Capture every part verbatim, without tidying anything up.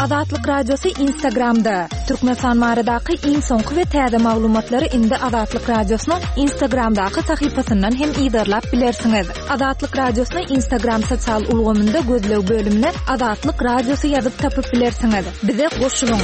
Azatlyk Radiosy Instagramda. Türkmenistan baradaky iň soňky we täze maglumatlary indi Azatlyk Radiosynyň Instagramdaky sahypasyndan hem yzarlap bilersiňiz. Azatlyk Radiosyny Instagram sosial ulgamynda gözleg bölümine Azatlyk Radiosy ýazyp tapyp bilersiňiz. Bize goşulyň.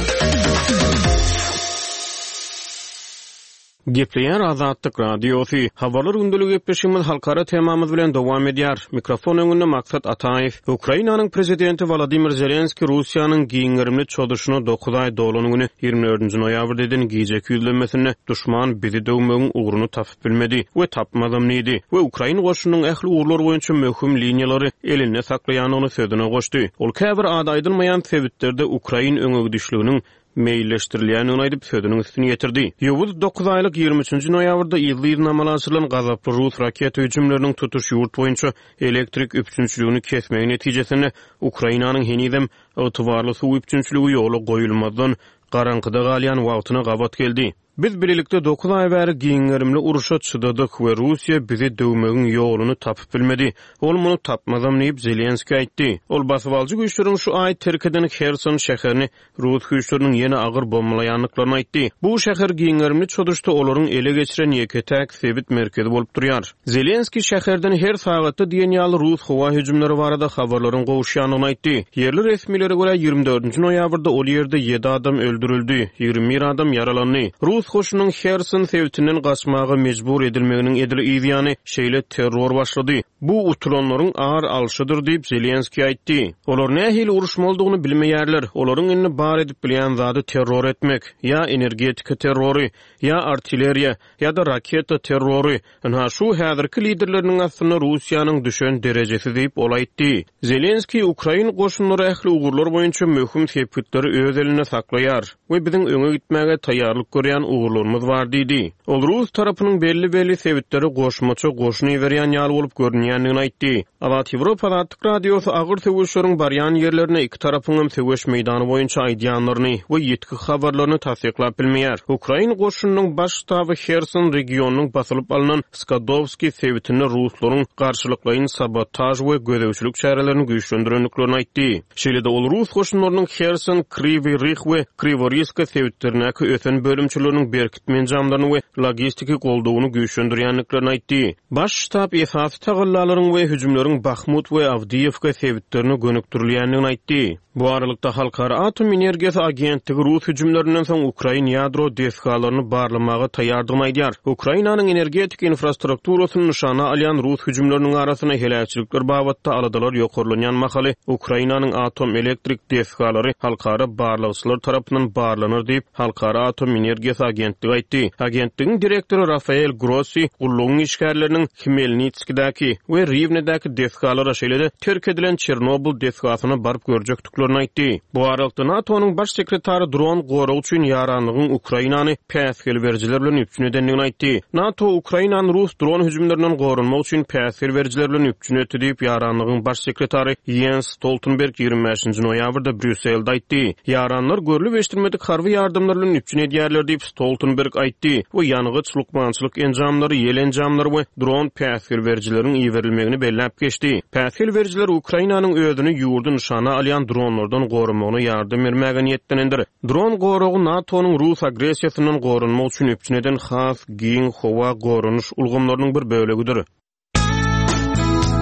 Gepleýär Azatlyk Radiosy. Habarlar gündelik gepleşigimiz halkara temamyz bilen dowam edýär. Mikrofon öňünde Maksat Ataýew. Ukrainanyň prezidenti Wolodymyr Zelenski Russiýanyň giň gerimli çozuşyna dokuz aý dolan güni ýigrimi dördünji noýabrda eden gijeki ýüzlenmesinde duşman bizi döwmegiň ugruny tapyp bilmedi we tapmazam diýdi we ukrain goşunynyň ähli ugurlar boýunça möhüm liniýalary elinde saklaýandygyny sözüne goşdy. Ol käbir ady aýdylmaýan sebitlerde ukrain öňegidişliginiň meýilleşdirilýändigini aýdyp sözüniň üstüni ýetirdi. Ýowuz dokuz aýlyk ýigrimi üçünji noýabrda yzly-yzyna amala aşyrylan gazaply rus raketa hüjümleriniň tutuş ýurt boýunça elektrik üpjünçiligini kesmegi netijesinde Ukrainanyň henizem ygtybarly suw üpjünçiligi ýola goýulmazdan garaňkyda galýan wagtyna gabat geldi. Biz birlikde dokuz aý bäri giň gerimli uruşa çydadyk we Russiýa bizi döwmegiň ýoluny tapyp bilmedi. Ol muny tapmazam diýip Zelenski aýtdy. Ol basybalyjy güýçleriň şu aý terk eden Herson şäherini rus güýçleriniň ýene agyr bombalaýandyklaryny aýtdy. Bu şäher giň gerimli çozuşda olaryň ele geçiren ýeke-täk sebit merkezi bolup durýar. Zelenski şäherden her sagatda diýen ýaly rus howa hüjümleri barada habarlaryň gowuşýandygyny aýtdy. Ýerli resmilere görä ýigrimi dördünji noýabrda ol ýerde ýedi adam öldürildi, ýigrimi bir adam ýaralandy. Rus goşunynyň Herson sebitinden gaçmaga mejbur edilmeginiň edil yzýany şeýle terror başlady. Bu utulanlaryň ar alşydyr diýip Zelenski aýtdy. Olar nähili uruşmalydygyny bilmeýärler. Olaryň indi bar edip bilýän zady terror etmek, ýa energetika terrory, ýa artilleriýa, ýa-da raketa terrory. Ynha şu häzirki liderleriniň aslynda Russiýanyň düşen derejesi diýip ol aýtdy. Zelenski Ukrain goşunlary ähli ugurlar boýunça möhüm sepgitleri öz elinde saklaýar we biziň öňe gitmäge taýýarlyk görýän ugurlarymyz bar diýdi. Ol rus tarapynyň belli-belli sebitleri goşmaça goşun iberýän ýaly bolup görünýändigini aýtdy. Azat Ýewropa Azatlyk Radiosy agyr söweşleriň barýan ýerlerine iki tarapyň hem söweş meýdany boýunça aýdýanlaryny we ýetki habarlaryny tassyklap bilmeýär. Ukrain goşunynyň baş ştaby Herson regionynyň basylyp alynan Skadowski sebitinde ruslaryň garşylyklaýyn sabotaj we gözegçilik çärelerini güýçlendirendiklerini aýtdy. Şeýle-de ol rus goşunlarynyň Herson, Kriwi Rih we Kriworiska sebitlerindäki ösen bölümçileriniň berkitme enjamlaryny we logistiki goldawyny güýçlendirýändiklerini aýtdy. Baş ştab esasy tagallalaryň we hüjümleriň Bahmut we Awdiýewka sebitlerine gönükdirilýändigini aýtdy. Bu aralykda Halkara Atom Energiýasy Agentligi rus hüjümlerinden soň Ukrain ýadro desgalaryny barlamaga taýýardygyny aýdýar. Ukrainanyň energetik infrastrukturasyny nyşana alýan rus hüjümleriniň arasynda heläkçilikler babatda aladalar ýokarlanýan mahaly Ukrainanyň atom elektrik desgalary halkara barlagçylar tarapyndan barlanar diýip Halkara Atom Energiýasy Agentligi aýtdy. Agentligiň direktory Rafael Grossi gullugyň işgärleriniň Hmelnitskidäki we Riwnedäki desgalara şeýle-de terk edilen Çernobyl desgasyna baryp görjekdiklerini aýtdy. Bu aralykda NATO-nyň baş sekretary dron goragy üçin ýaranlygyň Ukrainany päsgel berijiler bilen üpjün edendigini aýtdy. NATO Ukrainany rus dron hüjümlerinden goranmak üçin päsgel berijiler bilen üpjün etdi diýip ýaranlygyň baş sekretary Jens Stoltenberg ýigrimi bäşinji noýabrda Brýusselde aýtdy. Ýaranlar görlüp eşidilmedik harby ýardamlar bilen üpjün edýärler diýip Stoltenberg aýtdy we ýangyç, lukmançylyk enjamlary, ýel enjamlary we dron päsgel berijileriň iberilmegini belläp geçdi. Päsgel berijiler Ukrainanyň özüni ýurdy nyşana alýan dronlardan goramagyna ýardam bermäge niýetlenendir. Dron goragy NATO-nyň rus agressiýasyndan goranmak üçin üpjün eden has giň howa goranyş ulgamlarynyň bir bölegidir.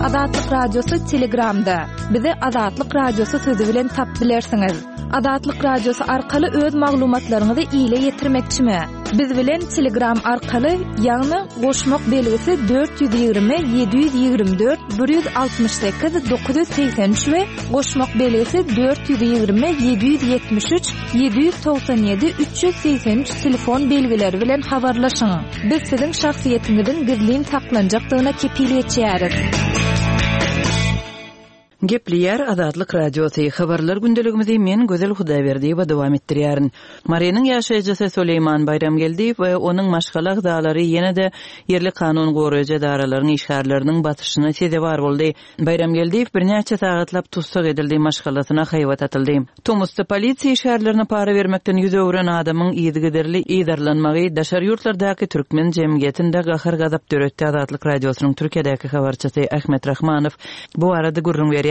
Azatlyk Radiosy Telegramda. Bizi Azatlyk Radiosy sözü bilen tap bilersiňiz. Azatlyk Radiosy arkaly öz maglumatlaryňyzy ile ýetirmekçimi? Biz bilen Telegram arkaly, ýagny goşmak belgisi dört ýüz ýigrimi ýedi ýüz ýigrimi dört bir ýüz altmyş sekiz dokuz ýüz segsen üç we goşmak belgisi dört ýüz ýigrimi ýedi ýüz ýetmiş üç ýedi ýüz togsan ýedi üç ýüz segsen üç telefon belgileri bilen habarlaşyň. Biz siziň şahsyýetiňiziň gizlin saklanjakdygyna kepil geçýäris. Gepleýär Azatlyk Radiosy. Habarlar gündeligimizi men Gözel Hudaýberdiýewa dowam etdirýärin. Marynyň ýaşaýjysy Süleýman Baýramgeldiýew we onuň maşgala agzalary ýene-de ýerli kanun goraýjy edaralaryň işgärleriniň basyşyna sezewar boldy. Baýramgeldiýew birnäçe sagatlap tussag edildi, maşgalasyna haýbat atyldy. Tomusda polisiýa işgärlerine para bermekden ýüz öwren adamyň yzygiderli yzarlanmagy daşary ýurtlardaky türkmen jemgyýetinde gahar-gazap döretdi. Azatlyk Radiosynyň Türkiýedäki habarçysy Ahmet Rahmanow bu arada gürrüň berýär.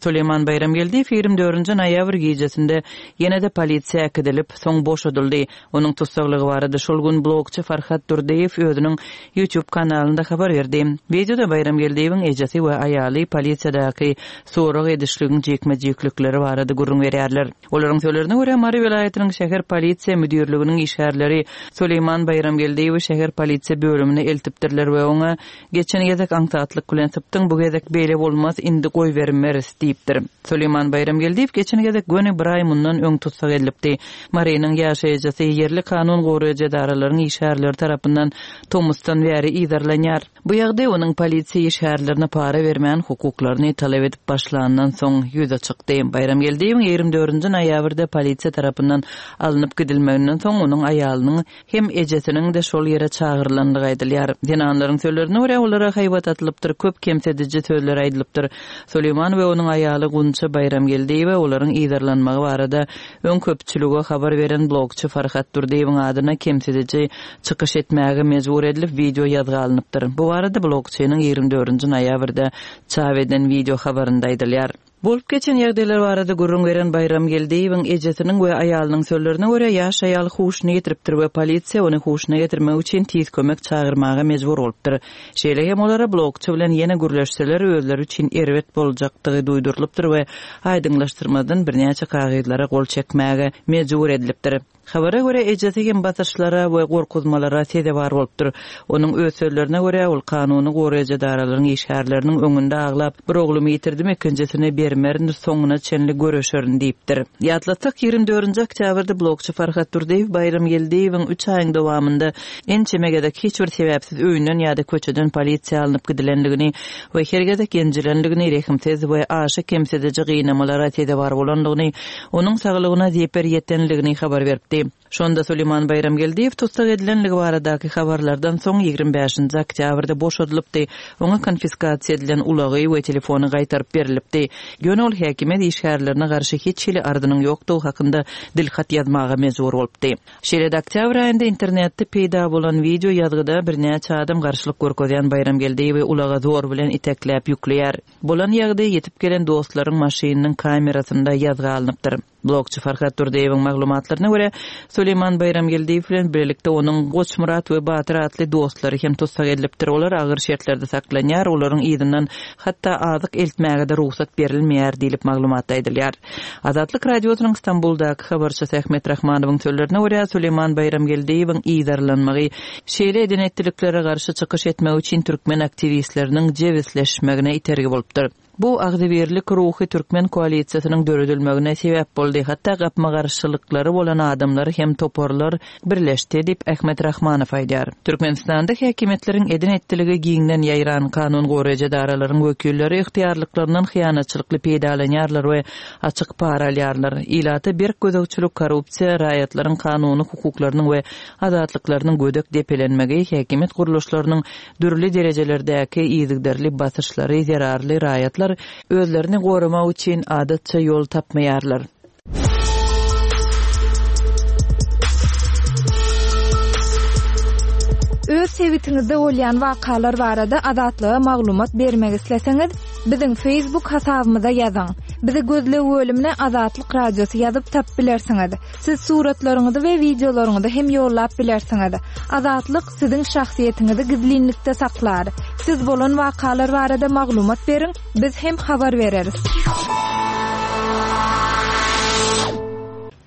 Süleýman Baýramgeldiýew ýigrimi dördünji noýabr gijesinde ýene-de polisiýa äkidilip, soň boşadyldy. Onuň tussaglygy barada şol gün blogçy Farhat Durdyýew özüniň YouTube kanalynda habar berdi. Wideoda Baýramgeldiýewiň ejesi we aýaly polisiýadaky sorag edişligiň jikme-jiklikleri barada gürrüň berýärler. Olaryň sözlerine görä, Mary welaýatynyň şäher polisiýa müdirliginiň işgärleri Süleýman Baýramgeldiýewi şäher polisiýa bölümine eltipdirler we oňa Geçen gezek aňsatlyk bilen sypdyň, bu gezek beýle bolmaz, indi goýbermeris diýipdir. Süleýman Baýramgeldiýew geçen gezek göni bir aý mundan öň tussag edilipdi. Marynyň ýaşaýjysy ýerli kanun goraýjy edaralaryň işgärleri tarapyndan tomusdan bäri yzarlanýar. Bu ýagdaý onuň polisiýa işgärlerine para bermän hukuklaryny talap edip başlandan soň ýüze çykdy. Baýramgeldiýewiň ýigrimi dördünji noýabrda polisiýa tarapyndan alnyp gidilmeginden soň onuň aýalynyň hem ejesiniň-de şol ýere çagyrylandygy aýdylýar. Zenanlaryň sözlerine görä, olara haýbat atylypdyr, köp kemsidiji sözler aýdylypdyr. Süleýman we onuň aýaly Gunça Baýramgeldiýewa olaryň yzarlanmagy barada öň köpçülige habar beren blogçy Farhat Durdyýewiň adyna kemsidiji çykyş etmäge mejbur edilip, wideo ýazga alnypdyr. Bu barada blogçynyň ýigrimi dördünji noýabrda çap eden wideo habarynda aýdylýar. Bolup geçen ýagdaýlar barada gürrüň beren Baýramgeldiýewiň ejesiniň we aýalynyň sözlerine görä, ýaş aýal huşuny ýitiripdir we polisiýa ony huşuna getirmek üçin tiz kömek çagyrmaga mejbur bolupdyr. Şeýle hem olara blogçy bilen ýene gürleşseler özleri üçin erbet boljakdygy duýdurylypdyr we aýdyňlaşdyrmazdan birnäçe kagyzlara gol çekmäge mejbur edilipdir. Habara görä, ejesi hem basyşlara we gorkuzmalara sezewar bolupdyr. Onuň öz sözlerine görä, ol kanuny goraýjy edaralaryň işgärleriniň öňünde aglap, Bir oglumy ýitirdim, ikinjisini bermerin, soňuna çenli göreşerin diýipdir. Ýatlatsak, ýigrimi dördünji oktýabrda blogçy Farhat Durdyýew Baýramgeldiýewiň üç aýyň dowamynda ençeme gezek hiç bir sebäpsiz öýünden ýa-da köçeden polisiýa alnyp gidilendigini we her gezek ýenjilendigini, rehimsiz we aşa kemsidiji gynamalara sezewar bolandygyny, onuň saglygyna zeper ýetendigini habar beripdi. Şonda Süleýman Baýramgeldiýew tussag edilenligi baradaky habarlardan soň ýigrimi bäşinji oktýabrda boşadylypdy, oňa konfiskasiýa edilen ulagy we telefony gaýtaryp berilipdi. Ýöne ol häkimiýet işgärlerine garşy hiç hili arzynyň ýokdugy hakynda dilhat ýazmaga mejbur bolupdy. Şeýle-de oktýabr aýynda internetde peýda bolan wideo ýazgyda birnäçe adam garşylyk görkezýän Baýramgeldiýewi ulaga zor bilen itekläp ýükleýär. Bolan ýagdaý ýetip gelen dostlaryň maşynynyň kamerasynda ýazga alnypdyr. Blogçy Farhat Durdyýewiň maglumatlaryna görä, Süleýman Baýramgeldiýew bilen birlikde onuň Goçmyrat we Batyr atly dostlary hem tussag edilipdir. Olar agyr şertlerde saklanýar, olaryň yzyndan hatda azyk eltmäge-de rugsat berilmeýär diýlip maglumatda aýdylýar. Azatlyk Radiosynyň Stambuldaky habarçysy Ahmet Rahmanowyň sözlerine görä, Süleýman Baýramgeldiýewiň yzarlanmagy şeýle eden-etdiliklere garşy çykyş etmek üçin türkmen aktiwistleriniň jebisleşmegine itergi bolupdyr. Bu agzybirlik ruhy türkmen koalisiýasynyň döredilmegine sebäp boldy, hatda gapma-garşylyklary bolan adamlar hem toparlar birleşdi diýip, Ahmet Rahmanow aýdýar. Türkmenistanda häkimiýetleriň eden-etdiligi giňden ýaýran, kanun goraýjy edaralaryň wekilleri ygtyýarlyklaryndan hyýanatçylykly peýdalanýarlar we açyk para alýarlar. Ilata berk gözegçilik, korrupsiýa, raýatlaryň kanuny hukuklarynyň we azatlyklarynyň gödek depelenmegi, häkimiýet gurluşlarynyň dürli derejelerdäki yzygiderli basyşlary zerarly raýatlar özlerini goramak üçin adatça ýol tapmaýarlar. Öz sebitiňizde bolýan wakalar barada Azatlyga maglumat bermek isleseňiz, biziň Facebook hasabymyza ýazyň. Bizi gözleg bölümine Azatlyk Radiosy ýazyp tapyp bilersiňiz. Siz suratlaryňyzy we wideolaryňyzy hem ýollap bilersiňiz. Azatlyk siziň şahsyýetiňizi gizlinlikde saklar. Siz bolan wakalar barada maglumat beriň, biz hem habar bereris.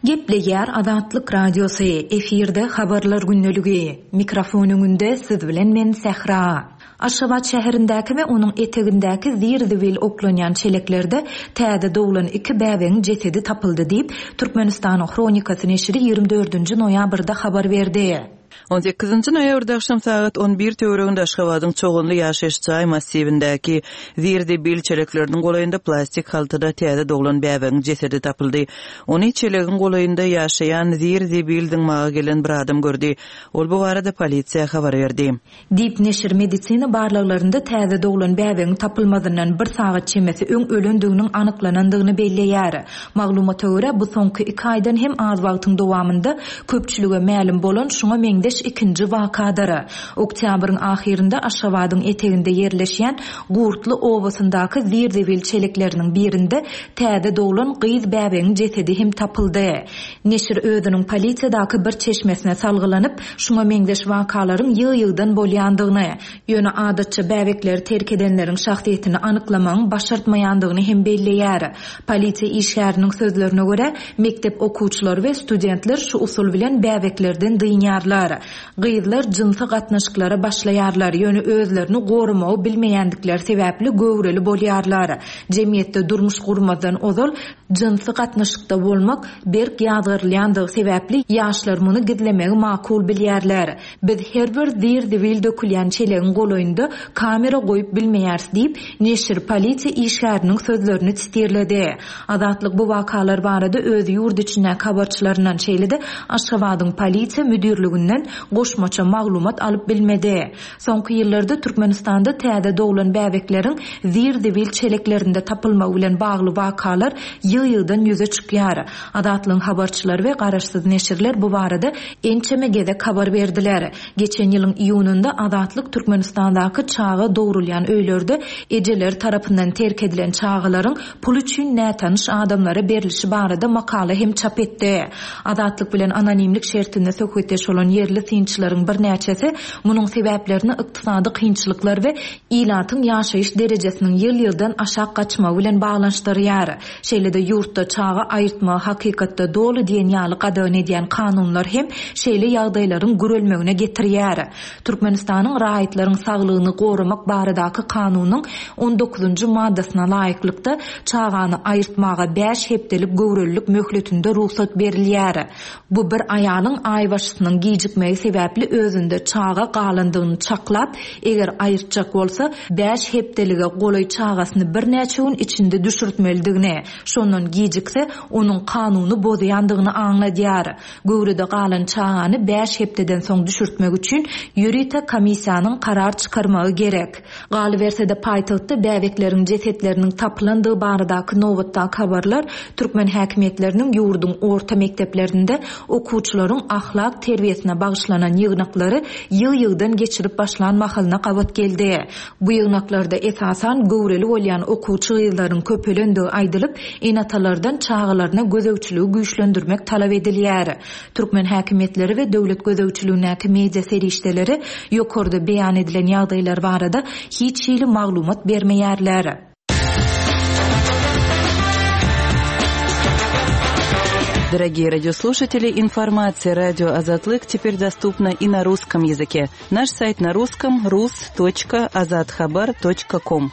Gepleýär Azatlyk Radiosy, efirde habarlar gündeligi. Mikrofon öňünde siz bilen men Sähra. Aşgabat şäherindäki we onuň etegindäki zir-zibil oklanýan çeleklerde täze doglan iki bäbegiň jesedi tapyldy diýip, Türkmenistanyň Hronikasy neşiri ýigrimi dördünji noýabrda habar berdi. On sekizinji noýabrda agşam sagat on bir töwereginde Aşgabadyň Çoganly ýaşaýyş jaý massiwindäki zir-zibil çelekleriniň golaýynda plastik haltada täze doglan bäbegiň jesedi tapyldy. Ony çelegiň golaýynda ýaşaýan zir-zibil zyňmaga gelen bir adam gördi. Ol bu barada polisiýa habar berdi. Diýip, neşir medisina barlaglarynda täze doglan bäbegiň tapylmazyndan bir sagat çemesi öň ölendiginiň anyklanandygyny belleýär. Maglumata görä, bu soňky iki aýdan hem az wagtyň dowamynda köpçülige mälim bolan şuňa meňzeş meňzeş ikinji wakadyr. Oktýabryň ahyrynda Aşgabadyň eteginde ýerleşýän Gurtly obasyndaky zir-zibil çelekleriniň birinde täze doglan gyz bäbegiň jesedi hem tapyldy. Neşir özüniň polisiýadaky bir çeşmesine salgylanyp, şuňa meňzeş wakalaryň ýygy-ýygydan bolýandygyny, ýöne adatça bäbekleri terk edenleriň şahsyýetini anyklamagyň başartmaýandygyny hem belleýär. Polisiýa işgäriniň sözlerine görä, mekdep okuwçylary we studentler şu usul bilen bäbeklerden dynýarlar. Gyzlar jynsy gatnaşyklara başlaýarlar, ýöne özlerini goramagy bilmeýändikleri sebäpli göwreli bolýarlar. Jemgyýetde durmuş gurmazdan ozal jynsy gatnaşykda bolmak berk ýazgarylýandygy sebäpli ýaşlar muny gizlemegi makul bilýärler. Biz her bir zir-zibil dökülýän çelegiň golaýynda kamera goýup bilmeýäris diýip, neşir polisiýa işgäriniň sözlerini sitirledi. Azatlyk bu wakalar barada öz ýurt içindäki habarçylaryndan şeýle-de Aşgabadyň polisiýa müdirliginden goşmaça maglumat alyp bilmedi. Soňky ýyllarda Türkmenistanda täze doglan bäbekleriň zir-zibil çeleklerinde tapylmagy bilen bagly wakalar ýygy-ýygydan ýüze çykýar. Azatlygyň habarçylary we garaşsyz neşirler bu barada ençeme gezek habar berdiler. Geçen ýylyň iýunynda Azatlyk Türkmenistandaky çaga dogrulýan öýlerde ejeler tarapyndan terk edilen çagalaryň pul üçin nätanyş adamlara berilişi barada makala hem çap etdi. Azatlyk bilen anonimlik şertinde söhbetdeş bolan ýerli synçylaryň birnäçesi munuň sebäplerini ykdysady kynçylyklar we ilatyň ýaşaýyş derejesiniň ýyl-ýyldan aşak gaçmagy bilen baglanyşdyrýar. Şeýle-de ýurtda çaga aýyrtmagy hakykatda doly diýen ýaly gadagan edýän kanunlar hem şeýle ýagdaýlaryň gürelmegine getirýär. Türkmenistanyň raýatlaryň saglygyny goramak baradaky kanunyň on dokuzynjy maddasyna laýyklykda çagany aýyrtmaga bäş hepdelik göwrelilik möhletinde rugsat berilýär. Bu bir aýalyň aýbaşysynyň gijikmegi sebäpli özünde çaga galandygyny çaklap, eger aýyrtjak bolsa bäş hepdelige golaý çagasyny birnäçe gün içinde düşürtmelidigini, şondan gijikse onuň kanuny bozýandygyny aňladýar. Göwrede galan çagany bäş hepdeden soň düşürtmek üçin ýörite komissiýanyň karar çykarmagy gerek. Galyberse-de paýtagtda bäbekleriň jesetleriniň tapylandygy baradaky nobatdaky habarlar türkmen häkimiýetleriniň ýurduň orta mekdeplerinde okuwçylaryň ahlak terbiýesine bagyşlanan ýygnaklary ýygy-ýygydan geçirip başlan mahalyna gabat geldi. Bu ýygnaklarda esasan göwreli bolýan okuwçy gyzlaryň köpelendigi aýdylyp, ene-atalardan çagalaryna gözegçiligi güýçlendirmek talap edilýär. Türkmen häkimiýetleri we döwlet gözegçiligindäki media serişdeleri ýokarda beýan edilen ýagdaýlar barada hiç hili maglumat bermeýärler. Дорогие радиослушатели, информация радио Азатлык теперь доступна и на русском языке. Наш сайт на русском рус точка азатхабар точка ком.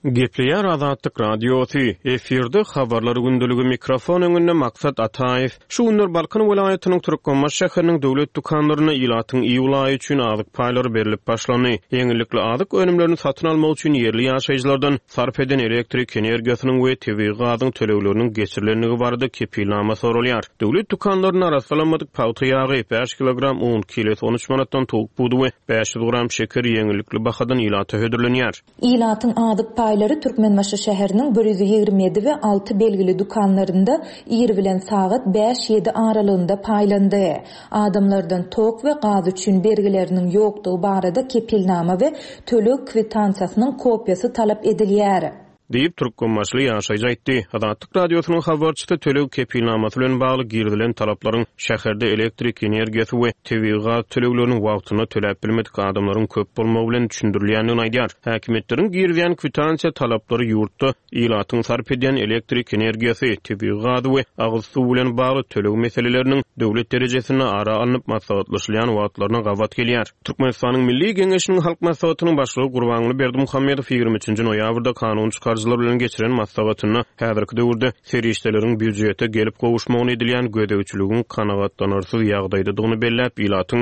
Gepleýär Azatlyk Radiosy, efirde habarlar gündeligi mikrofon öňünde Maksat Ataýew. Şu günler Balkan welaýatynyň Türkmenbaşy şäheriniň döwlet dükanlaryna ilatyň iýul aýy üçin azyk paýlary berlip başlandy. Ýeňillikli azyk önümlerini satyn almak üçin ýerli ýaşaýjylardan sarp eden elektrik energiýasynyň we tebigy gazyň tölegleriniň geçirilendigi barada kepilnama sorulýar. Döwlet dükanlaryna arassalanmadyk pagta ýagy, bäş kilogram un, kilesi on üç manatdan towuk budy we bäş ýüz gram şeker ýeňillikli bahadan ilata hödürlenýär. Ilatyň azyk paýlary Türkmenbaşy şäheriniň bir ýüz ýigrimi ýedi we alty belgili dükanlarynda ir bilen sagat bäş ýedi aralygynda paýlandy. Adamlardan tok we gaz üçin bergileriniň ýokdugy barada kepilnama we töleg kwitansiýasynyň kopýasy talap edilýär. Diýip Türkmenbaşyly ýaşaýjy aýtdy. Azatlyk Radiosynyň habarçysy töleg kepilnamasy bilen bagly girizilen talaplaryň şäherde elektrik energiýasy we tebigy gaz tölegleriniň wagtynda töläp bilmedik adamlaryň köp bolmagy bilen düşündirilýändigini aýdýar. Häkimiýetleriň girizýän kwitansiýa talaplary ýurtda ilatyň sarp edýän elektrik energiýasy, tebigy gazy we agyz suwy bilen bagly töleg meseleleriniň döwlet derejesinde ara alnyp maslahatlaşylýan wagtlaryna gabat gelýär. Türkmenistanyň Milli Geňeşiniň Halk Maslahatynyň başlygy Gurbanguly Berdimuhamedow ýigrimi üçünji noýabrda kanun çykaryjylar bilen geçiren maslahatynda häzirki döwürde serişdeleriň býujete gelip gowuşmagyny edilýän gözegçiligiň kanagatlanarsyz ýagdaýdadygyny belläp, ilatyň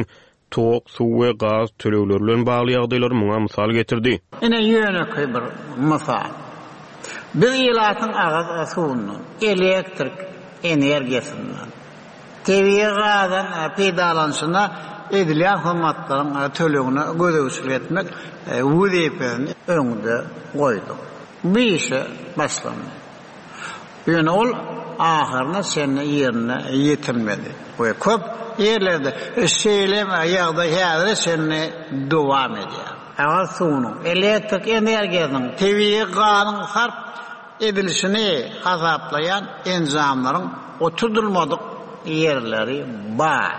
tok, suw we gaz tölegleri bilen bagly ýagdaýlary muňa mysal getirdi. Ine ýönekeý bir mysal. Biz ilatyň agyz suwundan, elektrik energiýasyndan, tebigy gazdan peýdalanyşyna edilýän hyzmatlaryň tölegine gözegçilik etmek wezipesini öňde goýduk. Bu işe başlandy. Ýöne ol ahyryna çenli ýerine ýetirmedi. We köp ýerlerde şeýle ýagdaý häzire çenli dowam edýär. Agyz suwunyň, elektrik energiýasynyň, tebigy gazyň sarp edilişini hasaplaýan enjamlaryň oturdylmadyk ýerleri bar.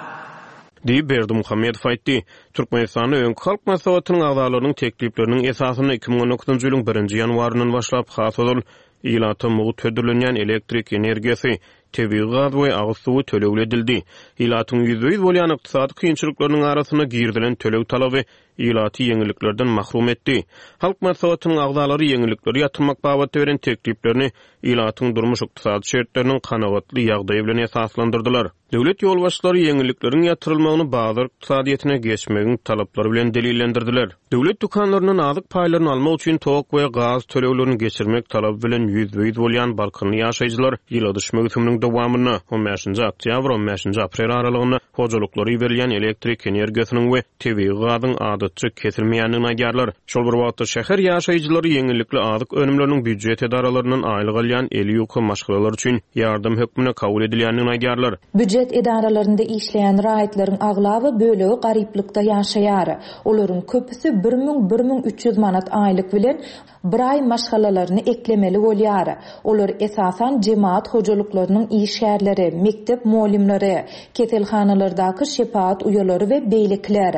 Diýip, Berdimuhamedow aýtdy. Türkmenistanda öňki Halk Maslahatynyň agzalarynyň teklipleriniň esasynda iki müň on dokuzynjy ýylyň birinji ýanwaryndan başlap has ozal ilata mugt hödürlenýän elektrik energiýasy, tebigy gaz we agyz suwy tölegli edildi. Ilatyň ýüzbe-ýüz bolýan ykdysady kynçylyklarynyň arasynda girizilen töleg talaby ilaty ýeňilliklerden mahrum etdi. Halk Maslahatynyň agzalary ýeňillikleri ýatyrmak babatda beren tekliplerini ilatyň durmuş-ykdysady şertleriniň kanagatly ýagdaýy bilen esaslandyrdylar. Döwlet ýolbaşçylary ýeňillikleriň ýatyrylmagyny bazar ykdysadyýetine geçmegiň talaplary bilen delillendirdiler. Döwlet dükanlaryndan azyk paýlaryny almak üçin tok we gaz töleglerini geçirmek talaby bilen ýüzbe-ýüz bolýan Balkanly ýaşaýjylar ýyladyş möwsüminiň dowamynda on bäşinji oktýabr on bäşinji aprel aralygynda hojalyklary berilýän elektrik energiýasynyň we tebigy gazyň adatça kesilmeýändigini aýdýarlar. Şol bir wagtda şäher ýaşaýjylary ýeňillikli azyk önümleriniň býujet edaralaryndan aýlyk alýan eli ýuka maşgalalar üçin ýardam hökmünde kabul edilýändigini aýdýarlar. Býujet edaralarynda işleýän raýatlaryň aglaba bölegi garyplykda ýaşaýar. Olaryň köpüsi bir müň bir müň üç ýüz manat aýlyk bilen bir aý maşgalalaryny eklemeli bolýar. Olar esasan jemaat hojalyklarynyň işgärleri, mekdep muallimleri, keselhanalardaky şepagat uýalary we beýlekiler.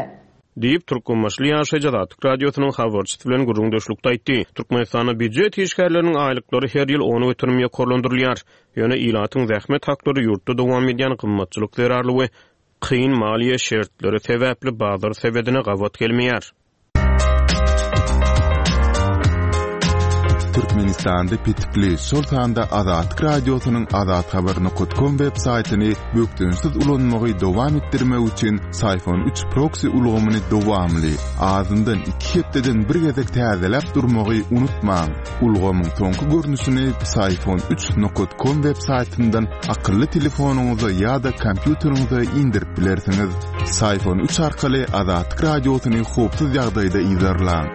Diýip, Türkmenbaşy ýaşaýjy Azatlyk Radiosynyň habarçysy bilen gürrüňdeşlikde aýtdy. Türkmenistanda býujet işgärleriniň aýlyklary her ýyl on göterim ýokarlandyrylýar. Ýöne ilatyň zähmet haklary ýurtda dowam edýän gymmatçylyk zerarly we kyn maliýe şertleri sebäpli bazar sebedine gabat gelmeýär. Türkmenistanda petikli, şol sanda Azatlyk Radiosynyň azathabar nokta com web saýtyny bökdençsiz ulanmagy dowam etdirmek üçin Syfon üç proxy ulgamyny dowamly, azyndan iki hepdeden bir gezek täzeläp durmagy unutmaň. Ulgamyň soňky görnüşini Syfon üç nokta com web saýtyndan akylly telefonyňyza ýa-da kompýuteriňize indirip bilersiňiz. Syfon üç arkaly Azatlyk Radiosyny howpsuz ýagdaýda yzarlaň.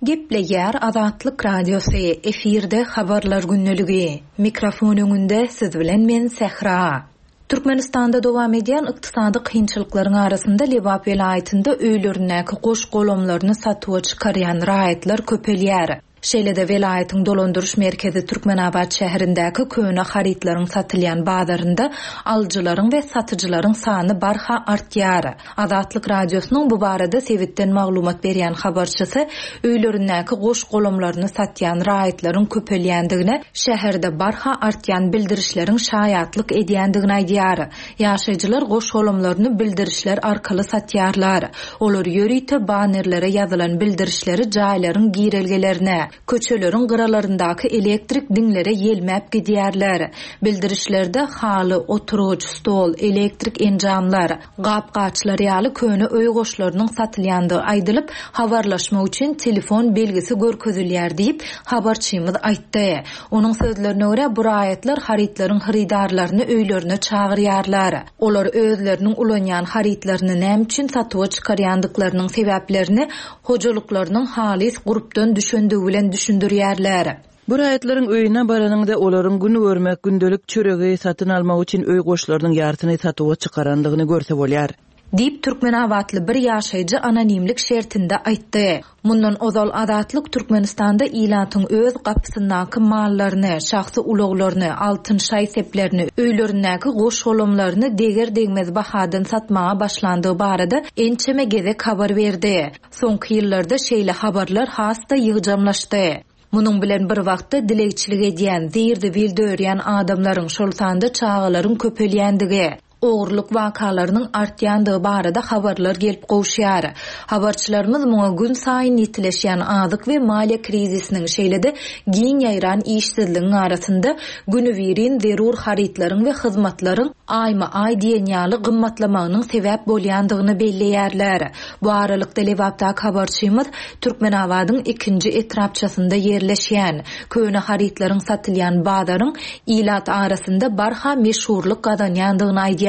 Gepleýär Azatlyk Radiosy, efirde habarlar gündeligi. Mikrofon öňünde siz bilen men Sähra. Türkmenistanda dowam edýän ykdysady kynçylyklaryň arasynda Lebap welaýatynda öýlerindäki goş golamlaryny satuwa çykarýan raýatlar köpelýär. Şeýle-de welaýatyň dolandyryş merkezi Türkmenabat şäherindäki köne harytlaryň satylýan bazarynda alyjylaryň we satyjylaryň sany barha artýar. Azatlyk Radiosynyň bu barada sebitden maglumat berýän habarçysy öýlerindäki goş golamlaryny satýan raýatlaryň köpelýändigine, şäherde barha artýan bildirişleriň şaýatlyk edýändigini aýdýar. Ýaşaýjylar goş golamlaryny bildirişler arkaly satýarlar. Olar ýörite banerlere ýazylan bildirişleri jaýlaryň girelgelerine, köçeleriň gyralaryndaky elektrik diňlere ýelmäp gidýärler. Bildirişlerde haly, oturgyç, stol, elektrik enjamlar, gap-gaçlar ýaly köne öý goşlarynyň satylýandygy aýdylyp, habarlaşmak üçin telefon belgisi görkezilýär diýip, habarçymyz aýtdy. Onuň sözlerine görä, bu raýatlar harytlaryň hyrydarlaryny öýlerine çagyrýarlar. Olar özleriniň ulanýan harytlaryny näme üçin satuwa çykarýandyklarynyň sebäplerini hojalyklarynyň halys gurpdan düşendigi bilen düşündirýärler. Bu raýatlaryň öýüne baranyňda olaryň gün görmek, gündelik çöregi satyn almak üçin öý goşlarynyň ýarsyny satuwa çykarandygyny görse bolýar. Diýip, Türkmenabatly bir ýaşaýjy anonimlik şertinde aýtdy. Mundan ozal Azatlyk Türkmenistanda ilatyň öz gapysyndaky mallaryny, şahsy ulaglaryny, altyn şaý-seplerini, öýlerindäki goş golamlaryny deger-degmez bahadan satmaga başlandygy barada ençeme gezek habar berdi. Soňky ýyllarda şeýle habarlar has-da ýygjamlaşdy. Munuň bilen bir wagtda dilegçilik edýän, zir-zibil dörýän adamlaryň, şol sanda çagalaryň köpelýändigi, ogurlyk wakalarynyň artýandygy barada habarlar gelip gowuşýar. Habarçylarymyz muňa gün saýyn ýetileşýän azyk we maliýe krizisiniň, şeýle-de giň ýaýran işsizligiň arasynda günübirin zerur harytlaryň we hyzmatlaryň aýma-aý diýen ýaly gymmatlamagynyň sebäp bolýandygyny belleýärler. Bu aralykda Lebapdaky habarçymyz Türkmenabadyň ikinji etrapçasynda ýerleşýän köne harytlaryň satylýan bazaryň ilat arasynda barha meşhurlyk gazanýandygyny aýdýar.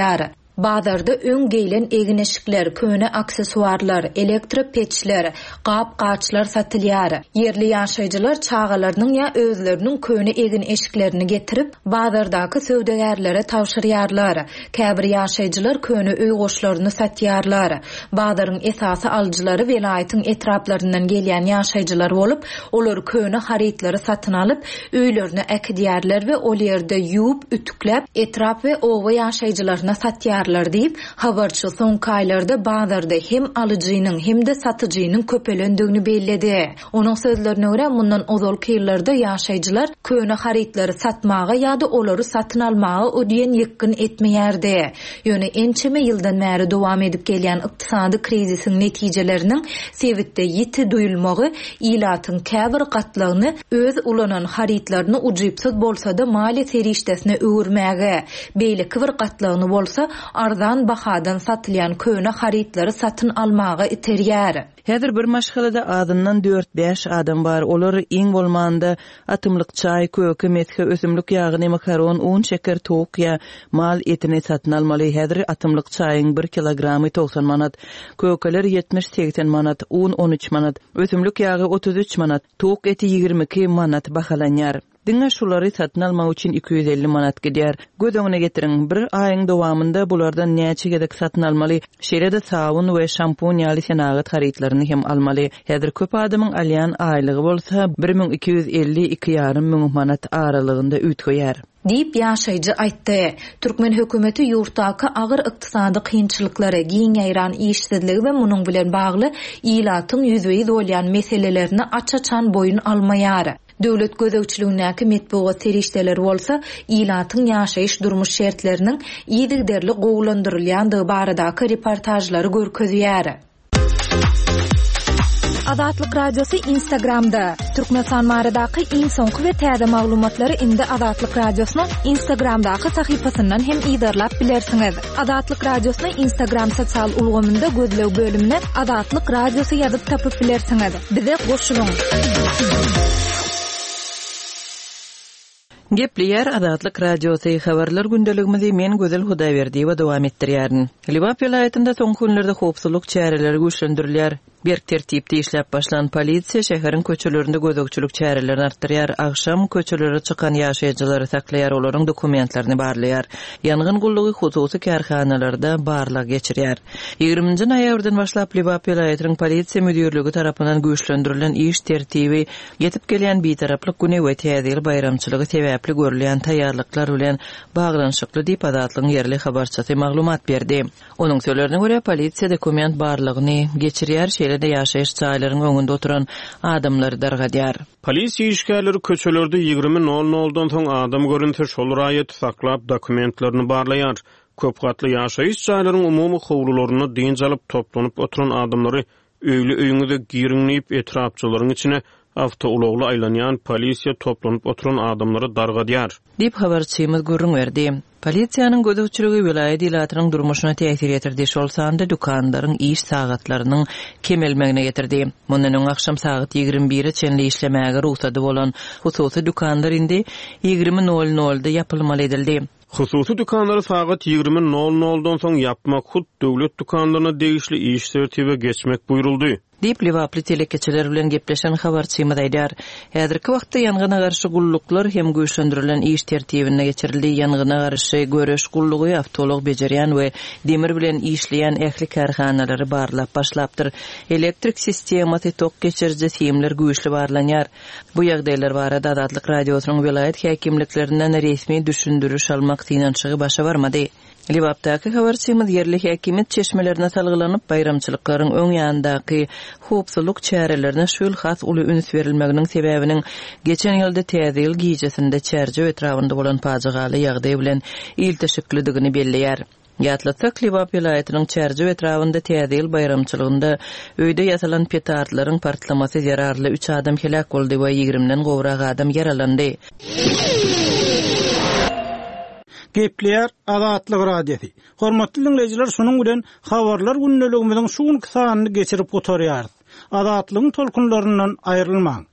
Bazarda öň geýlen egin-eşikler, köne aksessuarlar, elektropeçler, gap-gaçlar satylýar. Ýerli ýaşaýjylar çagalarynyň ýa özleriniň köne egin-eşiklerini getirip, bazardaky söwdagärlere tabşyrýarlar. Käbir ýaşaýjylar köne öý goşlaryny satýarlar. Bazaryň esasy alyjylary welaýatyň etraplaryndan gelýän ýaşaýjylar bolup, olar köne harytlary satyn alyp, öýlerine äkidýärler we ol ýerde ýuwup, ütükläp, etrap we oba ýaşaýjylaryna satýarlar diýip, habarçy soňky aýlarda bazarda hem alyjynyň, hem-de satyjynyň köpelendigini belledi. Onuň sözlerine görä, mundan ozalky ýyllarda ýaşaýjylar köne harytlary satmaga ýa-da olary satyn almaga o diýen ýykgyn etmeýärdi. Ýöne ençeme ýyldan bäri dowam edip gelýän ykdysady krizisiň netijeleriniň sebitde ýiti duýulmagy ilatyň käbir gatlagyny öz ulanan harytlaryny ujypsyz bolsa-da maliýe serişdesine öwürmäge, beýleki bir gatlagyny bolsa arzan bahadan satylýan köne harytlary satyn almaga iterýär. Häzir bir maşgalada azyndan dört-bäş adam bar. Olar iň bolmanda atymlyk çaý, köke, mesge, ösümlik ýagyny, makaron, un, şeker, towuk ýa mal etini satyn almaly. Häzir atymlyk çaýyň bir kilogramy togsan manat, kökeler ýetmiş-segsen manat, un on üç manat, ösümlik ýagy otuz üç manat, towuk eti ýigrimi iki manat bahalanýar. Diňe şulary satyn almak üçin iki ýüz elli manat gidýär. Göz öňüne getiriň, bir aýyň dowamynda bulardan näçe gezek satyn almaly, şeýle-de sabun we şampun ýaly senagat harytlaryny hem almaly. Häzir köp adamyň alýan aýlygy bolsa bir müň iki ýüz elli iki ýarym müň manat aralygynda üýtgeýär. Diýip, ýaşaýjy aýtdy. Türkmen hökümeti ýurtdaky agyr ykdysady kynçylyklary, giň ýaýran işsizligi we munuň bilen bagly ilatyň ýüzbe-ýüz bolýan meselelerini aç-açan boýun almaýar. Döwlet gözegçiligindäki metbugat serişdeleri bolsa ilatyň ýaşaýyş durmuş şertleriniň yzygiderli gowulandyrylýandygy baradaky reportajlary görkezýär. Azatlyk Radiosy Instagramda. Türkmenistan baradaky iň soňky we täze maglumatlary indi Azatlyk Radiosynyň Instagramdaky sahypasyndan hem yzarlap bilersiňiz. Azatlyk Radiosyny Instagram sosial ulgamynda gözleg bölümine Azatlyk Radiosy ýazyp tapyp bilersiňiz. Bize goşulyň. Gepleýär Azatlyk Radiosy habarlar gündeligimizi men Gözel Hudaýberdiýewa dowam etdirýärin. Lebap welaýatynda soňky günlerde howpsuzlyk çäreleri güýçlendirilýär. Berk tertipde işläp başlan polisiýa şäheriň köçelerinde gözegçilik çärelerini artdyrýar. Agşam köçelere çykan ýaşaýjylary saklaýar, olaryň dokumentlerini barlaýar. Ýangyn gullugy hususy kärhanalarda barlag geçirýär. Ýigriminji noýabrdan başlap Lebap welaýatynyň polisiýa müdirligi tarapyndan güýçlendirilen iş tertibi ýetip gelýän bitaraplyk güni we Täze ýyl baýramçylygy sebäpli görülýän taýýarlyklar bilen baglanyşykly diýip Azatlygyň ýerli habarçysy maglumat berdi. Onuň sözlerine görä polisiýa dokument barlagyny geçirýär, şeýle-de ýaşaýyş jaýlaryň öňünde oturan adamlary dargadýar. Polisiýa işgärleri köçelerde ýigrimi nol noldan soň adam görünse şol raýaty saklap dokumentlerini barlaýar. Köp gatly ýaşaýyş jaýlaryň umumy howlularynda dynç alyp toplanyp oturan adamlary öýli öýüňize giriň diýip etrapçylaryň içine awtoulagly aýlanýan polisiýa toplanyp oturan adamlary dargadýar. Diýip habarçymyz gürrüň berdi. Polisiýanyň gözegçiligi welaýat ilatynyň durmuşyna täsir ýetirdi, şol sanda dükanlaryň iş sagatlarynyň kemelmegine getirdi. Mundan öň akşam sagat ýigrimi bire çenli işlemäge rugsady bolan hususy dükanlar indi ýigrimi nol nolda ýapylmaly edildi. Hususy dükanlary sagat ýigrimi nol noldan soň ýapmak hut döwlet dükanlaryna degişli iş tertibe geçmek buýruldy. Diýip Lebaply telekeçiler bilen gepleşen habarçymyz aýdar. Häzirki wagtda ýangyna garşy gulluklar hem güýçlendirilen iş tertibine geçirildi. Ýangyna garşy göreş gullugy awtoulag bejerýän we demir bilen işleýän ähli kärhanalary barlap başlapdyr. Elektrik sistemasy tok geçiriji simler güýçli barlanýar. Bu ýagdaýlar barada Azatlyk Radiosynyň welaýat häkimliklerinden resmi düşündiriş almak synanyşygy başa barmady. Lebapdaky habarçymyz ýerli häkimiýet çeşmelerine salgylanyp, baýramçylyklaryň öň ýanyndaky howpsuzlyk çärelerine şu ýyl has uly üns berilmeginiň sebäbiniň geçen ýylda Täze ýyl gijesinde Çärjew etrabynda bolan pajygaly ýagdaý bilen ilteşiklidigini belleýär. Ýatlatsak, Lebap welaýatynyň Çärjew etrabynda Täze ýyl baýramçylygynda öýde ýasalan petardlaryň partlamasy zerarly üç adam heläk boldy we ýigrimden gowrak adam ýaralandy. Gepleýär Azatlyk Radiosy. Hormatly dinleýjiler, şunuň bilen habarlar gündeligimiziň şu günki sanyny geçirip gutarýarys. Azatlygyň tolkunlaryndan aýrylmaň.